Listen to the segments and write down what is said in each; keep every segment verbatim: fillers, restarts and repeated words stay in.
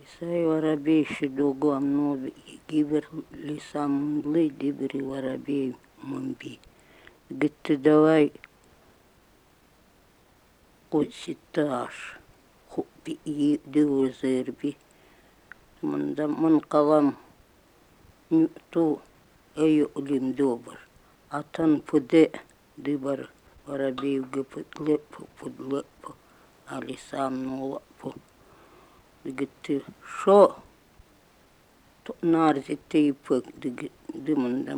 Исай воробей шидогу амнови гибер лисам млы дибери воробей мамби. Гитты давай кутситаш хуппи и дивузерби. Манда ман калам ту эйо улим добр. Атан пуде дибар воробей гипутлепу пудлепу. Алисам нолапу. Гитты шо нарзите ипык диманда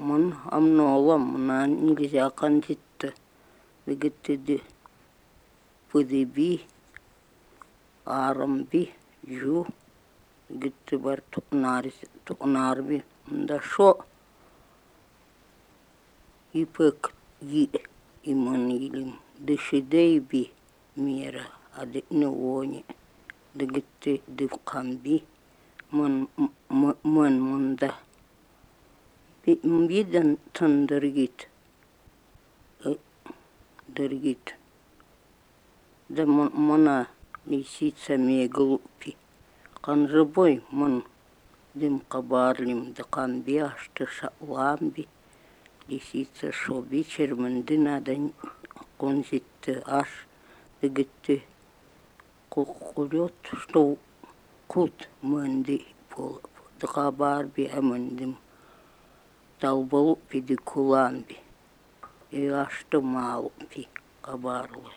ман амнолам мана нельзя кандитта. Гитты ди пудеби арамби жу. Гитты бар тунарби манда шо ипык ги иман илим дышидейби мира адетне вони. Дегитте дивкамби ман ман манда видан тандергит дергит да мана лисица меглупи канжебой ман дим кабарлим да камби ашты шаламби лисица шоби черманды надо конзитты аш дегитте кукулет что кут манди пол дхабарби амандим талбалупи ди куламби и аш то малупи кабарлы.